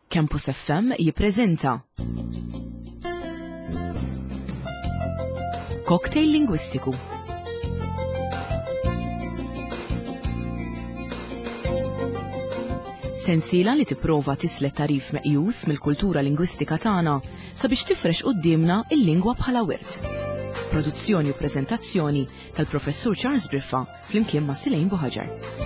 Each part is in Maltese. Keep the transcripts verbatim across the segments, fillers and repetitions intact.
Campus F M jippreżenta Cocktail Lingwistiku. Sensiela li tipprova tislet tarif meqjus mill-kultura lingwistika tagħna sabiex tifrex quddiemna il-lingwa bħala wirt. Produzzjoni u preżentazzjoni tal-Professur Charles Briffa flimkien ma' Silejn Buħaġar.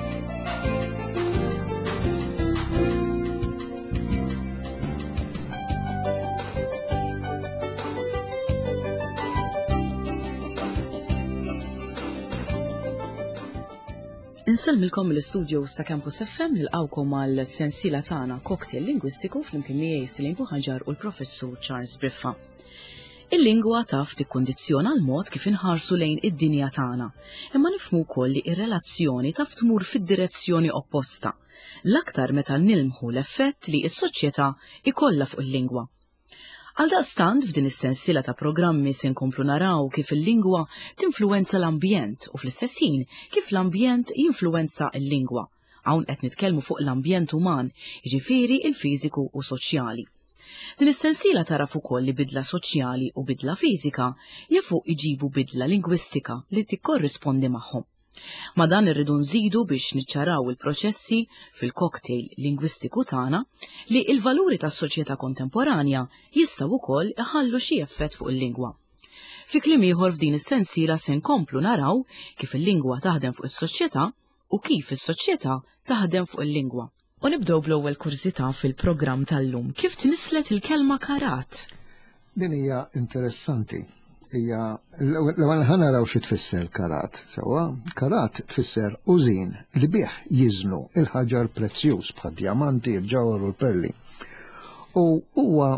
Insellmilkom mill-istudio sa' Campus F M, nilqawkom għal sensiela tagħna Cocktail Lingwistiku flimkien miegħi Silejn Buħaġar u l-Professur Charles Briffa. Il-lingwa taf tikkondizzjona l-mod kif inħarsu lejn id-dinja tagħna, imma nifhmu wkoll li r-relazzjoni taf tmur fid-direzzjoni opposta, l-aktar meta nilmħu l-effett li s-soċjetà ikollha fuq il-lingwa. Għaldaqstant f'din is-sensiela ta' programmi se nkomplu naraw kif il-lingwa tinfluwenza l-ambjent u fl-istess ħin kif l-ambjent jinfluwenza l-lingwa. Hawn qed nitkellmu fuq l-ambjent uman, jiġifieri il-fiżiku u soċjali. Din is-sensiela taraf ukoll li bidla soċjali u bidla fiżika jafu iġibu bidla lingwistika li tikkorrispondi magħhom. Ma dan irridu nżidu biex niċċaraw il-proċessi fil-cocktail lingwistiku tagħna li l-valuri tas-soċjetà kontemporanja jistgħu wkoll iħallu xi effett fuq il-lingwa. Fi kliem ieħor f'din is-sensiela se nkomplu naraw kif il-lingwa taħdem fuq is-soċjetà u kif is-soċjetà taħdem fuq il-lingwa. U nibdew bl-ewwel kurżità fil-programm tal-lum. Kif tnislet il-kelma karat? Din hija interessanti. Hija l-ewwel ħa naraw xi tfisser karat. Sewwa, karat tfisser użin li bih jiżnu il-ħaġar prezzjuż bħad-djamanti, il-ġawhar u l-perli. U huwa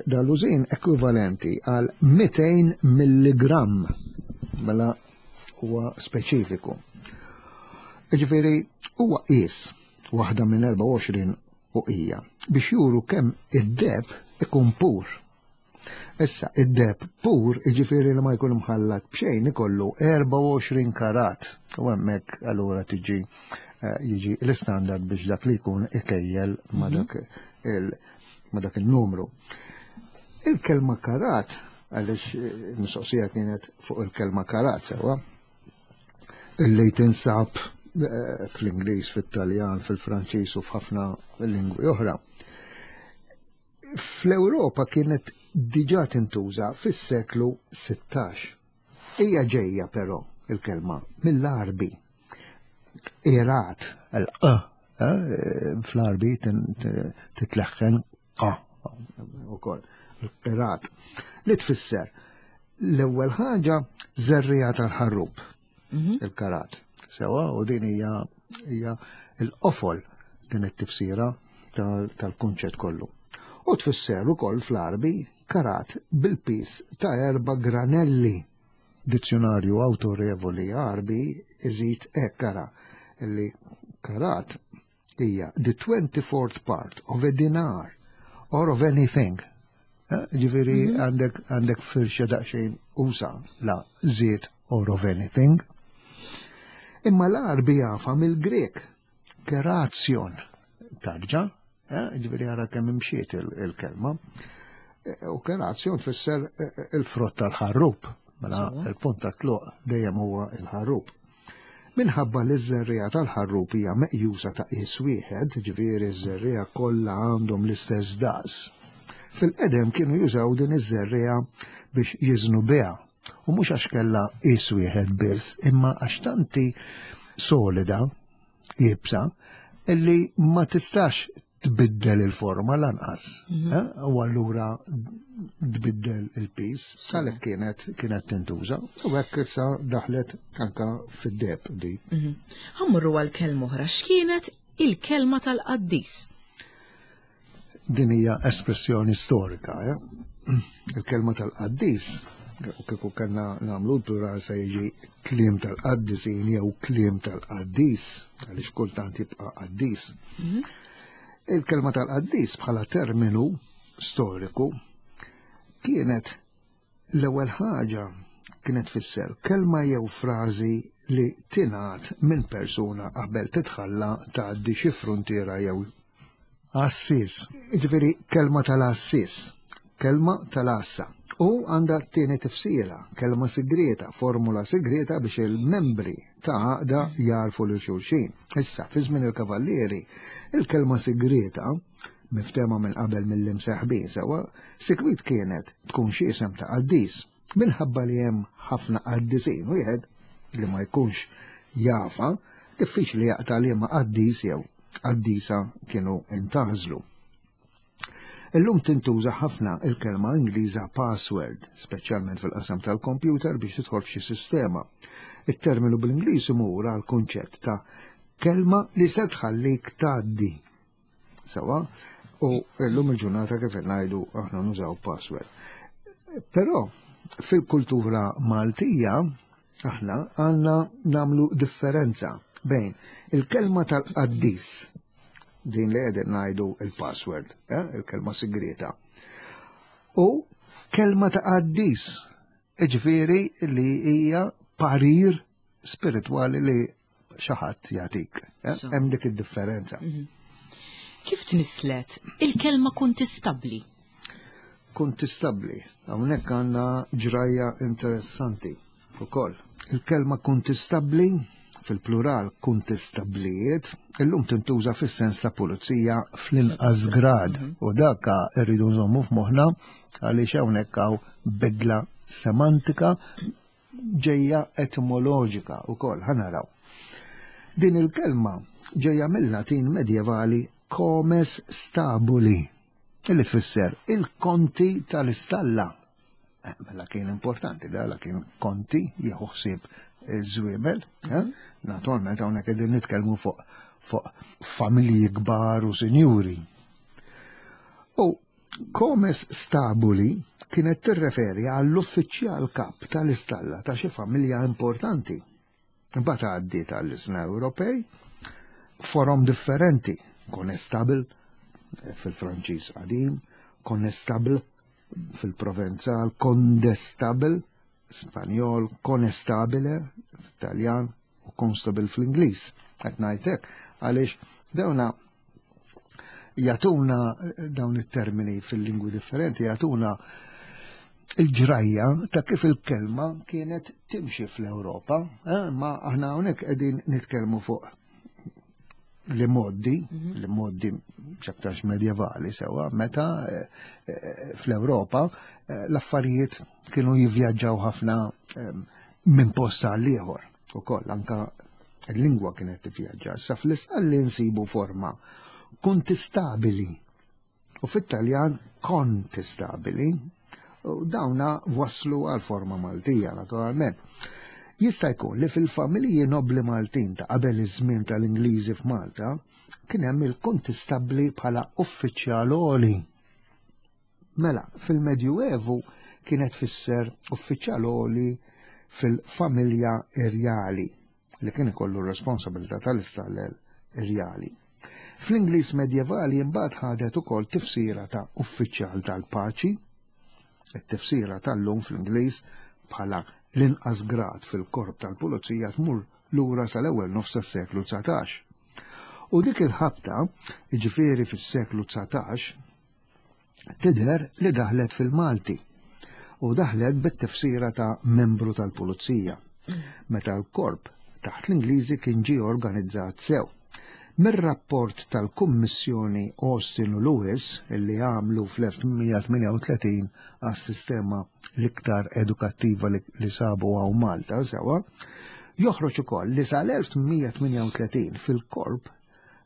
dal-użin ekwivalenti għal mitejn milligramm, mela huwa speċifiku. Jiġifieri huwa qies waħda minn erbgħa u għoxrin uqija biex juru kemm id-deheb ikun pur. Issa, id-deheb pur, jiġifieri li ma jkun imħallat b'xejn, ikollu erbgħa u għoxrin karat. U hemmhekk allura tiġi, eh, jiġi l-istandard biex dak li jkun ikejjel ma Mhm. dak il-, ma dak il-numru. Il-kelma karat, għaliex, eh, mistoqsija kienet fuq il-kelma karat, sewwa, illi tinsab, eh, fl-Ingliż, fit-Taljan, fil-Franċiż u f'ħafna lingwi oħra. Fl-Ewropa kienet diġà tintuża fis-seklu sittax. Hija ġejja però il-kelma mill-Arbi. Irat, l-q, eh, fl-Arbi tin-, t-, titleħħen q ukoll. Irat li tfisser l-ewwel ħaġa żerriegħa tal-ħarrub, Mhm. il-karat. Sewa, u din hija, hija l-qofol din it-tifsira tal-, tal-kunċett kollu. U tfisser ukoll fl-Arbi karat bil-pis ta' erba' granelli. Dizzjonarju autorevoli Arbi iżid hekk kara li karat hija the twenty-fourth part of a dinar or of anything. Eh, ġifieri Mhm. għandek, għandek firxa daqsxejn usa la żied or of anything. Imma l-Arbi jafa mill-Grek, kerazzjon, tarġa, eh, ġifieri ara kemm imxiet il-, il-kelma. Eh, u kerazzjon tfisser, eh, eh, il-frott tal-ħarrub, mela Sewwa. il-punt ta' tluq dejjem huwa il-ħarrub. Minħabba li ż-żerriegħa tal-ħarrub hija meqjusa ta' qies wieħed, ġifieri ż-żerriegħa kollha għandhom l-istess daqs. Fil-qedem kienu jużaw din iż-żerriegħa biex jiżnu biha. U mhux għax kellha qies wieħed biss, imma għax tanti solida, jibsa, illi ma tistax tbiddel il-forma lanqas. Mhm. Eh? U allura tbiddel il-pis, Sewwa. għalhekk kienet, kienet tintuża. U hekk issa daħlet anka fid-deheb di. Mhm. Ħammurru għal kelma oħra, x'kienet il-kelma tal-qaddis? Din hija espressjoni storika, eh? Il-kelma tal-qaddis, u kieku kellna nagħmlu l-plural se jiġi kliem tal-qaddisin jew kliem tal-qaddis, għaliex kultant jibqa' qaddis. Mhm. Il-kelma tal-qaddis bħala terminu storiku kienet l-ewwel ħaġa kienet tfisser kelma jew frażi li tingħad minn persuna qabel titħalla tgħaddi xi fruntiera jew Għassis. Ġifieri kelma tal-għassis, kelma tal-għassa. U għandha t-tieni tifsira, kelma sigrieta, formula sigrieta biex il-membri ta' għaqda jarfu lil xulxin. Issa, fi żmien il-kavallieri, il-kelma sigrieta, miftema minn qabel mill-imseħbin sewa, sikwit kienet tkun xi isem ta' qaddis. Minħabba li hemm ħafna qaddisin, wieħed li ma jkunx jafa, diffiċli jaqta' liema qaddis jew qaddisa kienu intażlu. Illum tintuża ħafna il-kelma Ingliża password, speċjalment fil-qasam tal-kompjuter biex tidħol f'xi sistema. Il-terminu bl-Ingliż imur għal kunċett ta' kelma li se tħallik tgħaddi. Sewa, u llum il-ġurnata kif ngħidu aħna nużaw password. Però fil-kultura Maltija aħna għandna nagħmlu differenza bejn il-kelma tal-qaddis, din li qegħdin ngħidu il-password, eh, il-kelma sigreta, u kelma ta' qaddis, ġifieri li hija parir spiritwali li xi ħadd jagħtik. eh? So. Hemm dik id-differenza. Kif tnislet il-kelma kuntistabbli? Kuntistabbli, hawnhekk għandna ġrajja interessanti ukoll. Il-kelma kuntistabbli fil-plural kuntistablijiet illum tintuża fis-sens ta' pulizija fl-inqas grad u daka rridu nżommu f'moħħna għaliex hawnhekk hawn bidla semantika ġejja etimoloġika wkoll ħa naraw. Din il-kelma ġejja mill-Latin medjevali comes stabuli, illi tfisser il-konti tal-istalla. Eh, Mela kien importanti, da la kien konti jieħu ħsieb iż-żwiemel, eh? Naturalment hawnhekk qegħdin nitkellmu fuq fuq familji kbar u sinjuri. U comes stabuli kienet tirreferi għall-uffiċjal kap tal-istalla ta' xi familja importanti. Imbagħad għaddiet għall-ilsna Ewropej forom differenti, conestable fil-Franċiż qadim, conestable fil-Provenzal, condestable Spanjol, conestabile Taljan u constable fl-Ingliż. Qed ngħidlek għaliex dawna jagħtuna dawn it-termini fil-lingwi differenti, jagħtuna il-ġrajja ta' kif il-kelma kienet timxi fl-Ewropa, eh, ma aħna hawnhekk qegħdin nitkellmu fuq li moddi, li moddi x'aktarx medjevali sewa, meta eh, eh, fl-Ewropa eh, l-affarijiet kienu jivvjaġġaw ħafna eh, minn post għal ieħor. Ukoll anka il-lingwa kienet tivvjaġġa. Sa fl-istalli nsibu forma kuntistabili u fit-Taljan kontestabili u dawna waslu għal forma Maltija naturalment. Jista' jkun li fil-familji nobli Maltin ta' qabel iż-żmien tal-Ingliżi f'Malta kien hemm il-kontistabbli bħala uffiċjal għoli. Mela, fil-Medjuevu kienet tfisser uffiċjal għoli fil-familja irjali li kien ikollu r-responsabilità tal-istallel irjali. Fl-Ingliż medjevali imbagħad ħadet ukoll tifsira ta' uffiċjal tal-paċi, it-tifsira tal-lum fl-Ingliż bħala l-inqas grad fil-korp tal-pulizija tmur lura sal-ewwel nofs tas-seklu dsatax. U dik il-ħabta, jiġifieri fis-seklu dsatax, tidher li daħlet fil-Malti u daħlet bit-tifsira ta' membru tal-pulizija. Meta l-korp taħt l-Ingliżi kien ġie organizzat sew. Mir-rapport tal-Kummissjoni Austin u Lewis illi għamlu fl-elf tmien mija tmienja u tletin għas-sistema l-iktar edukattiva li, li sabu għaw Malta, sewa, joħroġ ukoll li sal-elf tmien mija tmienja u tletin fil-korp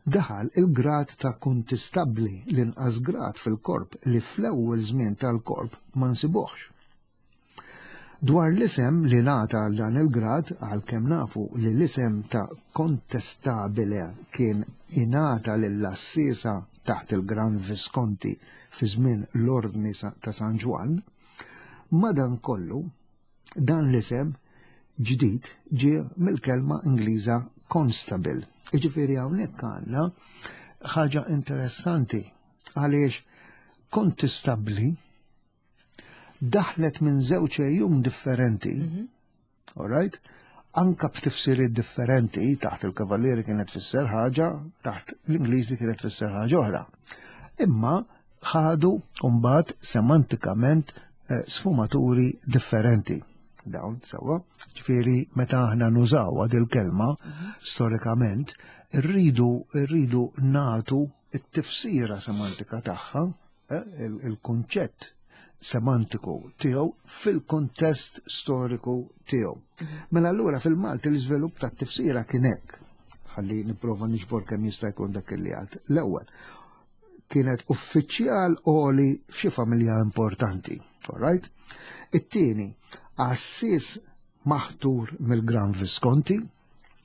daħal il-grad ta' kuntistabbli, l-inqas grad fil-korp li fl-ewwel żmien tal-korp ma nsibuhx. Dwar l-isem li ngħata għal dan il-grad, għalkemm nafu li l-isem ta' kontestabile kien ingħata lill-assisa taħt il-Gran Visconti fi żmien l-Ordni sa-, ta' San Ġwann, madankollu dan l-isem ġdid ġie mill-kelma Ingliża constable. Jiġifieri hawnhekk għandna ħaġa interessanti għaliex kontistabbli daħlet minn żewġ ejjum differenti, Mhm. all right? Anka b'tifsiriet differenti, taħt il-Kavallieri kienet tfisser ħaġa, taħt l-Ingliżi kienet tfisser ħaġa oħra. Imma ħadu mbagħad semantikament eh, sfumaturi differenti. Dawn sewwa, ġifieri meta aħna nużaw il-kelma storikament, irridu irridu nagħtu it-tifsira semantika tagħha, eh, il-kunċett semantiku tiegħu fil-kontest storiku tiegħu. Mela allura fil-Malti l-iżvilupp tat-tifsira kien hekk. Ħalli nipprova niġbor kemm jista' jkun dak li għad. L-ewwel kienet uffiċjal għoli f'xi familja importanti. All right? It-tieni, għassis maħtur mill-Gran Visconti,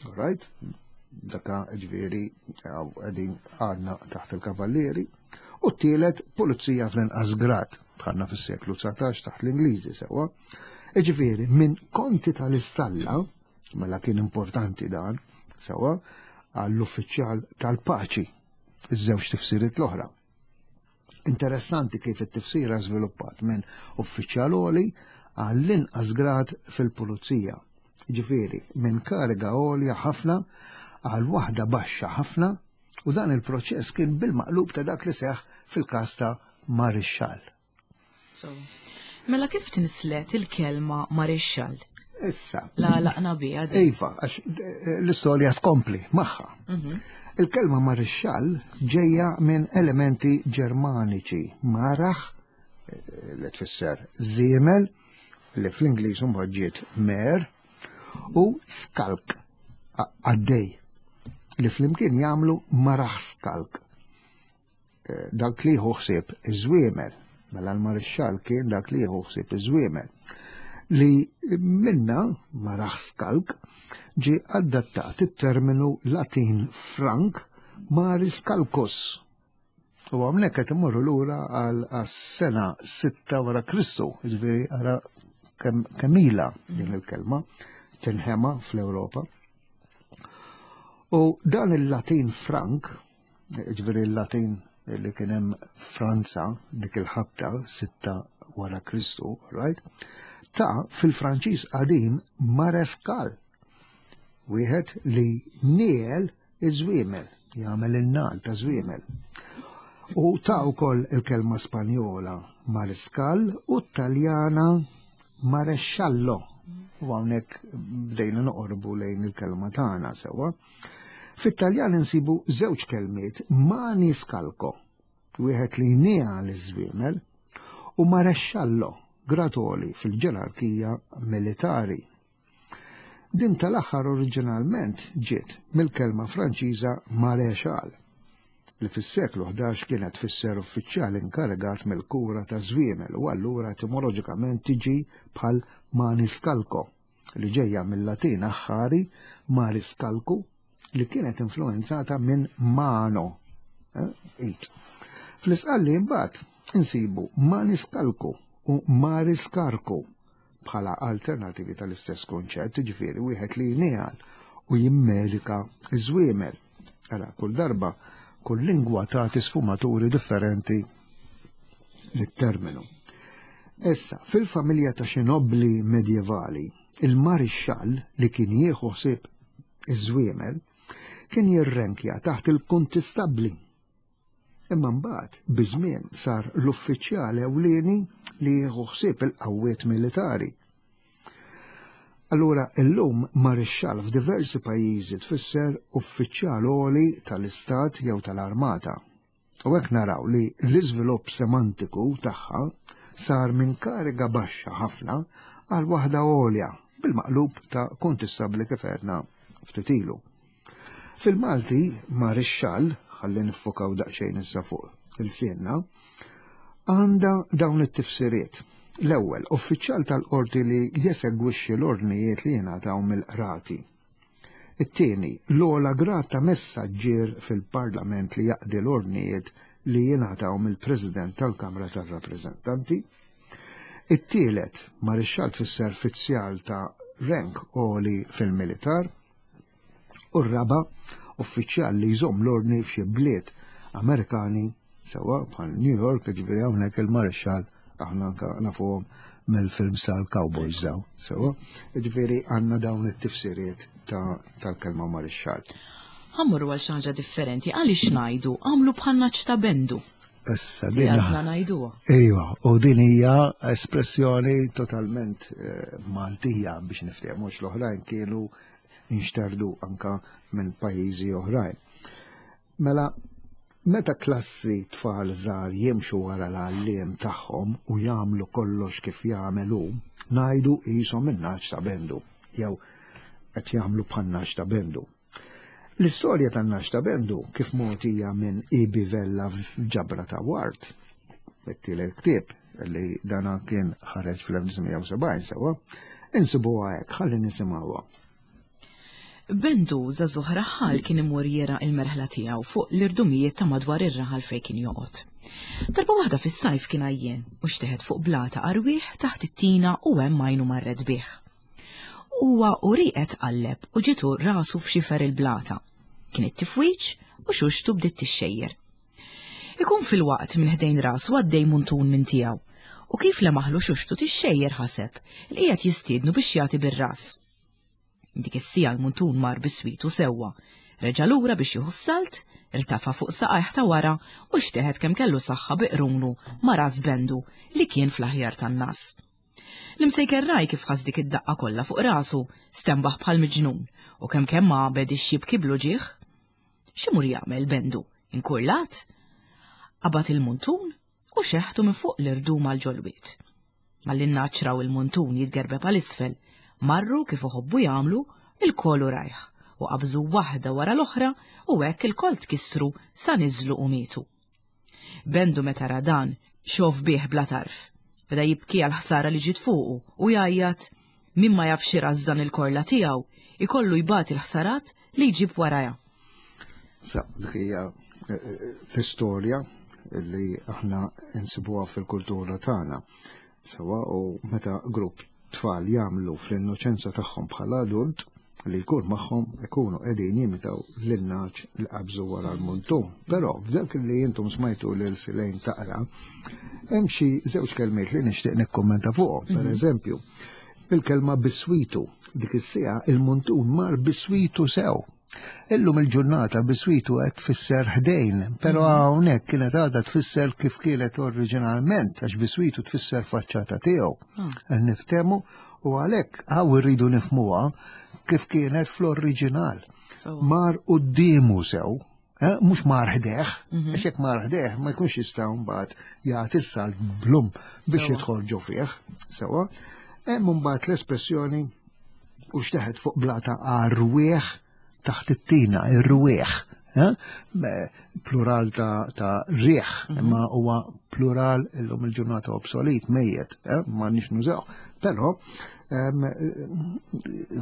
all right? Daka ġifieri qegħdin għadna taħt il-Kavallieri. U t-tielet, pulizija fl-inqas grad, bħalna fis-seklu dsatax taħt l-Ingliżi sewwa. Ġifieri, minn konti tal-istalla, mela kien importanti dan, sewwa, għall-uffiċjal tal-paċi, iż-żewġ tifsiriet l-oħra. Interessanti kif it-tifsira żviluppat minn uffiċjal għoli għall-inqas grad fil-pulizija. Ġifieri, minn kariga għolja ħafna għal waħda baxxa ħafna, u dan il-proċess kien bil-maqlub ta' dak li seħ fil-każ ta' marixxall. So, mela kif tinslet il-kelma marixxall? Issa. La laqna biha din. Iva, għax eh, l-istorja tkompli magħha. Il-kelma marixxall ġejja minn elementi Ġermaniċi, maraħ, eh, li tfisser żiemel, li fl-Ingliż mbagħad ġiet mare, u skalk, għaddej, li flimkien jagħmlu maraħskalk. Eh, dak li jieħu ħsieb iż-żwiemel, mela l-marixxall kien dak li jieħu ħsieb iż-żwiemel. Li minna maraħskalk ġi adattat it-terminu Latin Frank mariscalcus. U hawnhekk qed imorru lura għal sena sitta wara Kristu, ġifieri ara kemm ilha din il-kelma tinħema fl-Ewropa. U dan il-Latin Frank, ġifieri il-Latin li kien hemm Franza dik il-ħabta sitta wara Kristu, right? Ta' fil-Franċiż qadim mareskal, wieħed li niel iż-żwiemel, jagħmel in-nagħal ta' żwiemel. U ta' wkoll il-kelma Spanjola mariscal u Taljana maresciallo. U hawnhekk bdejna noqorbu lejn il-kelma tagħna sewwa. Fit-Taljan insibu żewġ kelmiet maniscalco, wieħed li jniegħel iż-żwiemel, u maresciallo, grad għoli fil-ġerarkija militari. Din tal-aħħar oriġinalment ġiet mill-kelma Franċiża maréchal, li fis-seklu ħdax kienet tfisser uffiċjal inkarigat mill-kura ta' żwiemel u allura etimoloġikament tiġi bħal maniscalco, li ġejja mill-Latin aħħari mariscalcu, li kienet influenzata minn mano, eh, id. Fl-Isqalli imbagħad insibu maniscalco u mariscarco bħala alternativi tal-istess konċett, ġifieri wieħed li jniegħel u jimmedika iż-żwiemel. Ara, kull darba, kull lingwa tagħti sfumaturi differenti lit-terminu. Issa, fil-familja ta' xi nobbli medjevali, il-marixxall li kien jieħu ħsieb iż-żwiemel kien jirrenkja taħt il-kuntistabbli. Imma mbagħad biż-żmien sar l-uffiċjal ewlieni li jieħu ħsieb il-qawwiet militari. Allura illum marixxall f'diversi pajjiżi tfisser uffiċjal għoli tal-istat jew tal-armata. U hekk naraw li l-iżvilupp semantiku tagħha sar minn kariga baxxa ħafna għal waħda għolja bil-maqlub ta' kuntistabbli kif għedna ftit ilu. Fil-Malti marixxall, ħalli niffokaw daqsxejn issa fuq il-sienna, għandha dawn it-tifsiriet. L-ewwel, uffiċjal tal-qorti li jesegwixxi l-ordnijiet li jingħataw mill-qrati. It-tieni, l-ogħla grad ta' messaġġier fil-Parlament li jaqdi l-ordnijiet li jingħataw mill-President tal-Kamra tar-Rappreżentanti. It-tielet, marixxall tfisser fizzjal ta' rank għoli fil-militar. U r-raba, uffiċjal li jżomm l-ordni f'xi bliet Amerikani, sewa bħal New York, ġifieri hawnhekk il-marixxall Aħna anka nafuhom mill-films tal-Cowboys daw. Sewa, ġifieri għandna dawn it-tifsiriet tal-kelma marixxall. Ħa mmorru għal xi ħaġa differenti, għaliex ngħidu għamlu bħan-nagħaġ ta' Bendu. Issa din għadna ngħiduha. Iva, u din hija espressjoni totalment eh, Maltija biex niftehmu l-oħrajn kienu inxterdu anka minn pajjiżi oħrajn. Mela, meta klassi tfal żgħar jimxu wara l-għalliem tagħhom u jagħmlu kollox kif jagħmelu, ngħidu qishom in-nagħaġ ta' Bendu, jew qed jagħmlu bħan-nagħaġ ta' Bendu. L-istorja tan-nagħaġ ta' Bendu kif mogħtija minn Ibi Vella f'Ġabra ta' Ward, it-tielet ktieb li dana kien ħareġ fl-elf disa' mija u sebgħin sewwa, insibuha hekk, ħalli nisimgħuha. Bendu żagħżugħ raħal kien imur jera il-merħla tiegħu fuq l-irdumijiet ta' madwar ir-raħal fejn kien joqgħod. Darba waħda fis-sajf kien għajjien u xteħet fuq blata arwieħ taħt it-tina u hemm għajnu marret bih. Huwa u rieqed qalleb u ġitu rasu f'xifer il-blata. Kien it-tifwiċ u xuxtu bdiet tixxejjer. Ikun fil-waqt minn ħdejn rasu għaddej muntun minn tiegħu u kif lemaħlu xuxtu tixxejjer ħaseb li qiegħed jistiednu biex jagħti bir-ras. Dik is-sija l-muntun mar biswitu sewwa, reġa' lura biex jieħu s-salt, irtafa' fuq saqajh ta' wara u xteħet kemm kellu saħħa biqrunu ma' ras Bendu li kien fl-aħjar tan-nas. L-imsejker raj kif ħass dik id-daqqa kollha fuq rasu, stenbaħ bħal miġnun u kemm kemm għabed ix-xibki blu ġieħ. X'imur jagħmel Bendu? Inkurlat? Qabad il-muntun u xeħtu minn fuq l-irdum għal ġolwiet. Malli raw il-muntun jitgerbeb għal isfel, marru kif uħobbu jagħmlu il-kolu rajħ u qabżu waħda wara l-oħra u hekk il-kol tkissru sa niżlu u mietu. Bendu meta ra dan xof bih bla tarf. Beda jibki għal ħsara li ġiet fuqu u jgħajjat min ma jafx irażżan il-korla tiegħu ikollu jbati l-ħsarat li jġib waraja. Sa, dik hija, eh, eh, l-istorja li aħna nsibuha fil-kultura tagħna. Sewa u meta grupp tfal jagħmlu fl-innoċenza tagħhom bħala adult li jkun magħhom ikunu qegħdin jimitaw lin-nagħaġ li qabżu wara l-muntun. Però f'dak li intom smajtu lil Silejn taqra, hemm xi żewġ kelmiet li nixtieq nikkommenta fuqhom. Per Mhm. eżempju, il-kelma biswitu, dik is-siegħa il-muntun mar biswitu sew. Illum il-ġurnata biswitu qed tfisser ħdejn, però Mhm. hawnhekk kienet għadha tfisser kif kienet oriġinalment, għax biswitu tfisser faċċata tiegħu. Ah. Niftemu u għalhekk hawn irridu nifhmuha kif kienet fl-oriġinal. So. Mar quddiemu sew, eh, mhux mar ħdejh, Mhm. għax jekk mar ħdejh ma jkunx jista' mbagħad jagħti s-salt blum biex Sewa. jidħol ġo fih. Sewa. Hemm mbagħad l-espressjoni u xteħet fuq blata għarwieħ taħt it-tina, ir-rwieħ. Eh? Plural ta', ta' rieħ, Mhm. imma huwa plural illum il-ġurnata obsolet, mejjet, eh? ma nix nużaw. Però em,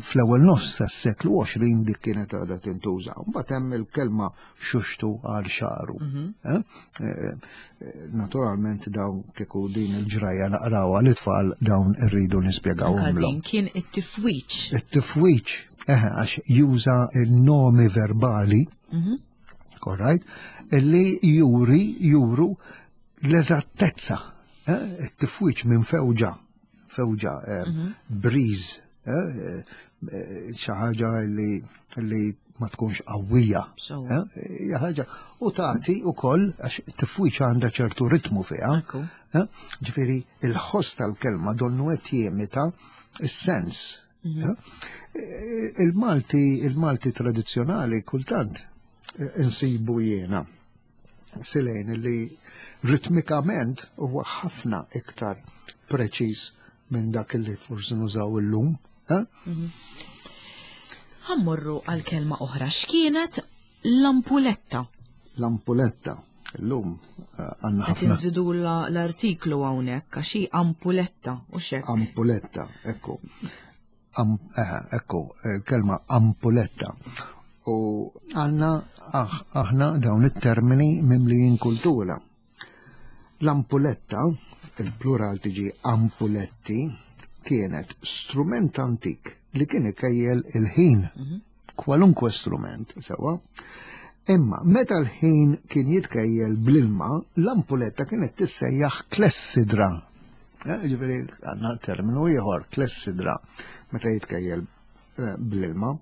fl-ewwel nofs tas-seklu għoxrin dik kienet għadha tintuża. Mbagħad hemm il-kelma xuxtu għal xaru. Mhm. Eh? Eh, eh, naturalment dawn kieku din il-ġrajja naqrawha l-itfal dawn irridu nispjegawhom Anka lhom. din kien it-tifwiċ. It-tifwiċ, eh, għax juża il-nomi verbali, Mhm. all right, illi juri, juru l-eżattezza. Eh, it-tifwiċ minn fewġa, fewġa, eh, Mhm. breeze, eh, eh, xi ħaġa li, li ma tkunx qawwija. So. Eh, hija ħaġa u tagħti wkoll għax it-tifwiċ għandha ċertu ritmu fiha. Ekku. Eh, Ġifieri il-ħoss tal-kelma donnu qed jimita is-sens. Mhm. Eh, Il-Malti, il-Malti tradizzjonali kultant eh, insibu jiena Silejn li ritmikament huwa ħafna iktar preċiż minn dak li forsi nużaw illum. Eh? Ħa mmorru għal kelma oħra. X'kienet l-ampuletta? L-ampuletta. Illum eh, għandna Qed ħafna inżidu la- l-artiklu hawnhekk għax hi ampuletta u xek. Ampuletta, ekku. Am, eh, ekku, il-kelma ampuletta. U għanna aħ, aħna dawn it-termini mimlijin kultura. L-ampuletta, il-plural tiġi ampuletti, kienet strument antik li kien ikejjel il-ħin. Kwalunkwe strument, sewa. Imma meta l-ħin kien jitkejjel bl-ilma, l-ampuletta kienet tissejjaħ klessidra. Eh, ġifieri għandna terminu ieħor, klessidra, meta jitkejjel eh, bl-ilma.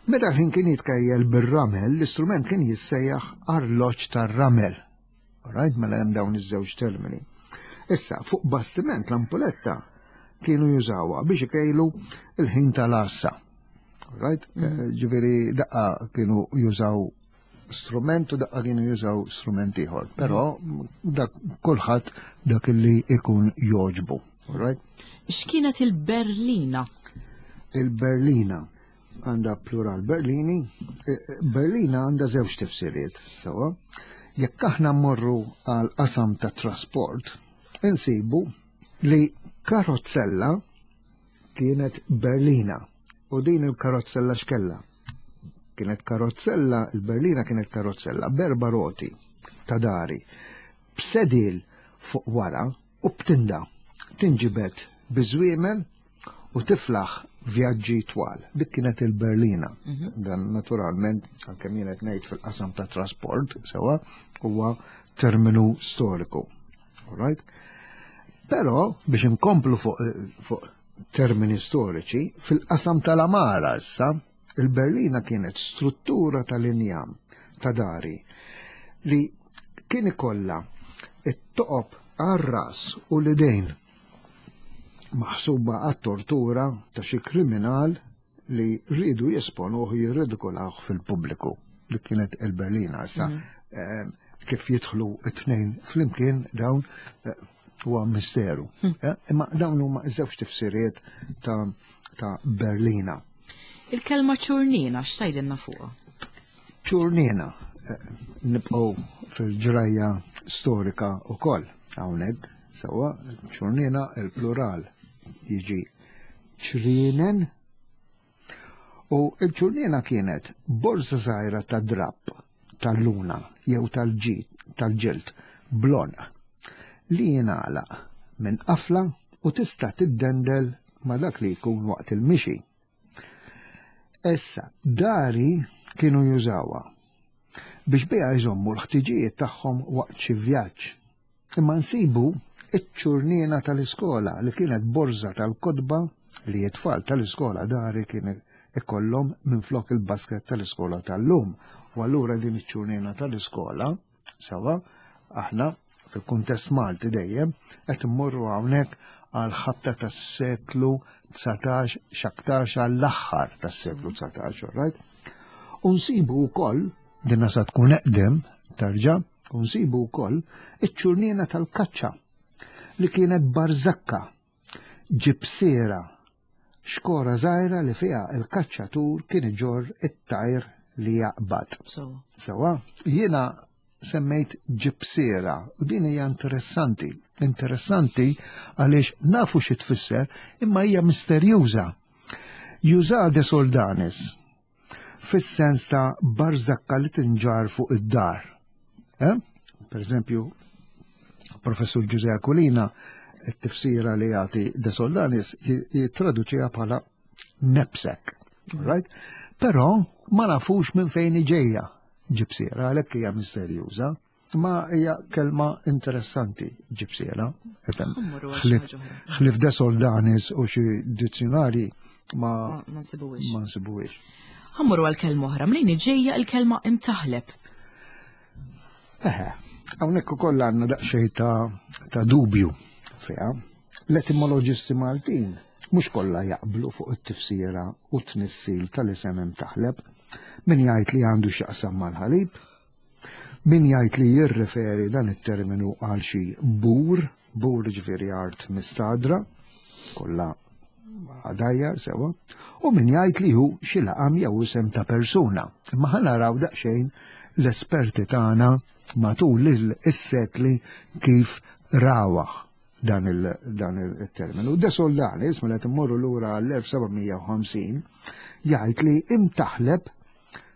Meta l-ħin kien jitkejjel bir-ramel, l-istrument kien jissejjaħ arloġġ tar-ramel. Alright, mela hemm dawn iż-żewġ termini. Issa, fuq bastiment l-ampuletta kienu jużawha biex ikejlu il-ħin tal-għassa. Alright? Eh, Ġifieri daqqa kienu jużaw strument u daqqa kienu jużaw strument ieħor. Però dak kulħadd dak li ikun joġbu. Alright? X'kienet il-Berlina? Il-Berlina għandha plural Berlini. Eh, eh, Berlina għandha żewġ tifsiriet, sewwa. Jekk aħna mmorru għal qasam ta' trasport, insibu li karozzella kienet Berlina. U din il-karozzella x'kella? Kienet karozzella, il-Berlina kienet karozzella b'erba' roti ta' dari, b'sedil fuq wara u b'tinda. Tinġibed biż-żwiemel u tiflaħ vjaġġi twal. Dik kienet il-Berlina. Dan naturalment, għalkemm jien qed ngħid fil-qasam ta' trasport, sewwa, huwa terminu storiku. Alright? Però biex inkomplu fuq fuq termini storiċi, fil-qasam tal-għamara issa, il-Berlina kienet struttura tal-injam ta' dari li kien ikollha it-toqob għar-ras u l-idejn maħsuba għat-tortura ta' xi kriminal li rridu jesponuh, jirridikolawh fil-pubbliku. Dik kienet il-Berlina issa. eh, Kif jidħlu it-tnejn flimkien dawn eh, huwa misteru. Eh, Imma dawn huma żewġ tifsiriet ta' ta' Berlina. Il-kelma ċurnina, x'tgħidilna fuqha? Ċurnina, eh, nibqgħu fil-ġrajja storika u koll, hawnhekk, sewwa, ċurnina il-plural jiġi ċrienen u il-ċurnina kienet borza żgħira ta' drapp tal-luna jew tal-ġid tal-ġild bl-għonq li jingħalaq minn qafla u tista' tiddendel ma' dak li jkun waqt il-mixi. Issa, dari kienu jużawha biex biha jżommu l-ħtiġijiet tagħhom waqt xi vjaġġ. Imma nsibu iċ-ċurnina tal-iskola li kienet borza tal-kotba li t-tfal tal-iskola dari kien ikollhom minn flok il-basket tal-iskola tal-lum. U allura din iċ-ċurnina tal-iskola, sewwa, aħna fil-kuntest Malti dejjem qed immorru hawnhekk għal ħabta tas-seklu dsatax, x'aktarx għall-aħħar tas-seklu dsatax, right? U nsibu wkoll, dinna sa tkun eqdem, tarġa, u nsibu wkoll iċ-ċurnina tal-kaċċa li kienet barzakka, ġibsira, xkora żgħira li fiha il-kaċċatur kien iġorr it-tajr li jaqbad. Sewwa. Sewwa, jiena semmejt ġibsira u din hija interessanti. Interessanti għaliex nafu xi tfisser imma hija misterjuża. Juża De Soldanis fis-sens ta' barzakka li tinġar fuq id-dar. Eh? Per eżempju, professur Giuseppe Aquilina, it-tifsira li jagħti De Soldanis jittraduċiha bħala knapsack. Right? Però ma nafux minn fejn ġejja ġibsiera, għalhekk hija misterjuża. Ma hija kelma interessanti ġibsiera. Ifhem, Mmorru għal xi ħlif ħaġa oħra. ħlif De Soldanis u xi dizzjonari ma Ma ma nsibuhiex. ma nsibuhiex. Ħa mmorru għal kelma oħra, mnejn ġejja il-kelma imtaħleb? Eħe, hawnhekk ukoll għandna daqsxejn ta' ta' dubju fiha. L-etimoloġisti Maltin mhux kollha jaqblu fuq it-tifsira u t-tnissil tal-isem imtaħleb. Min jgħid li għandu x'jaqsam mal-ħalib, min jgħid li jirreferi dan it-terminu għal xi bur, bur ġifieri art mistadra, kollha għadajjar sewwa, u min jgħid li hu xi laqam jew isem ta' persuna. Imma ħa naraw daqsxejn l-esperti tagħna matul is-sekli kif rawh dan il-terminu. De Soldanis, mela immorru lura l-elf seba' mija u ħamsin, jgħid li imtaħleb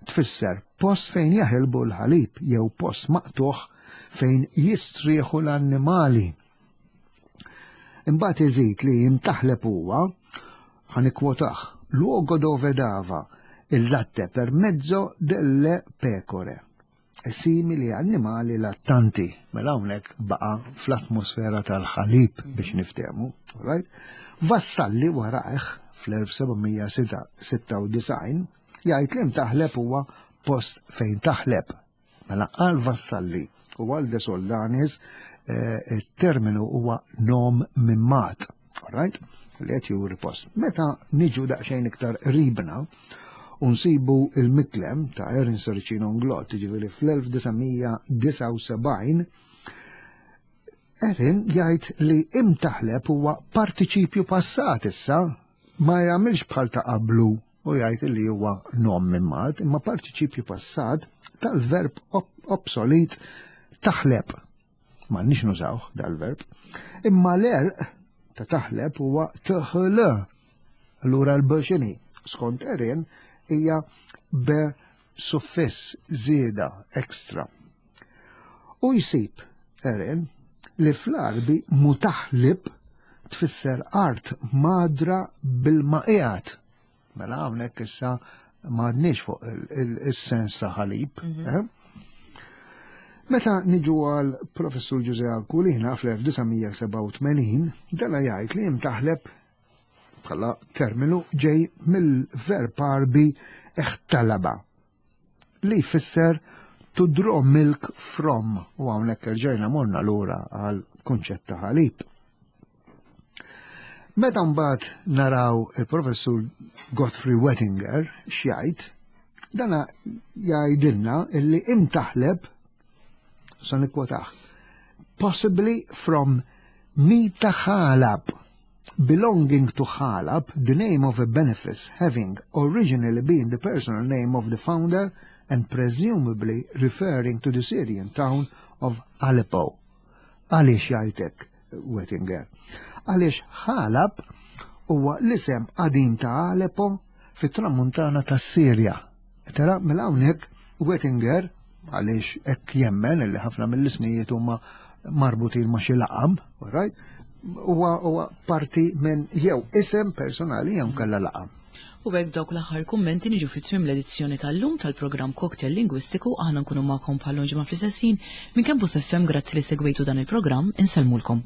tfisser post fejn jaħilbu l-ħalib jew post maqtuħ fejn jistrieħu l-annimali. Imbagħad iżid li imtaħleb huwa, ħa nikkwotah, "luogo dove dava il latte per mezzo delle pecore". Simili annimali lattanti. Mela hawnhekk baqa' fl-atmosfera tal-ħalib biex niftehmu, right? Vassalli warajh fl-elf seba' mija sitta u disgħin jgħid li mtaħleb huwa post fejn taħleb. Mela għal Vassalli u għal De Soldanis eh, il-terminu huwa nom mimmat, right? Li qed juri post. Meta niġu daqsxejn iktar qribna, u nsibu il-Miklem ta' Erin Serracino Inglott, ġifieri fl-elf disa' mija disgħa u sebgħin, Erin jgħid li imtaħleb huwa partiċipju passat issa, ma jagħmilx bħal ta' qablu u jgħid li huwa nom mimmat, imma partiċipju passat tal-verb obsolit taħleb. Ma nix nużaw dal-verb. Imma l-għerq ta' taħleb huwa tħl. Allura l-b x'inhi? Skont Erin hija b suffiss, żieda extra. U jsib Erin li fl-Arbi mutaħlib tfisser art madra bil-maqijat. Mela hawnhekk issa m'għadniex fuq il-sens ta' ħalib. Mhm. Eh? Meta niġu għal professur Ġużè Aquilina fl-elf disa' mija sebgħa u tmenin, dana jgħid li imtaħleb bħala terminu ġej mill-verb Arbi iħtalaba li jfisser to draw milk from, u hawnhekk rġajna morna lura għal kunċett ta' ħalib. Meta mbagħad naraw il-professur Godfrey Wettinger x'jgħid, dana jgħidilna illi imtaħleb, sa nikkwotah, "possibly from Mitaħalab, belonging to Halab, the name of a benefice having originally been the personal name of the founder and presumably referring to the Syrian town of Aleppo." Għaliex jgħidlek Wettinger? Għaliex Halab huwa l-isem qadim ta' Aleppo fit-tramuntana ta' Sirja. Tara, mela hawnhekk Wettinger, għaliex hekk jemmen li ħafna mill-ismijiet huma marbutin ma' xi laqam, right? Huwa parti minn jew isem personali jew kella laqam. U b'hekk dawk l-aħħar kummenti niġu fi tmiem l-edizzjoni tal-lum tal-programm Cocktail Lingwistiku. Aħna nkunu magħkom bħal ġimgħa fl-istess ħin minn Campus F M. Grazzi li segwejtu dan il-programm, insellmulkom.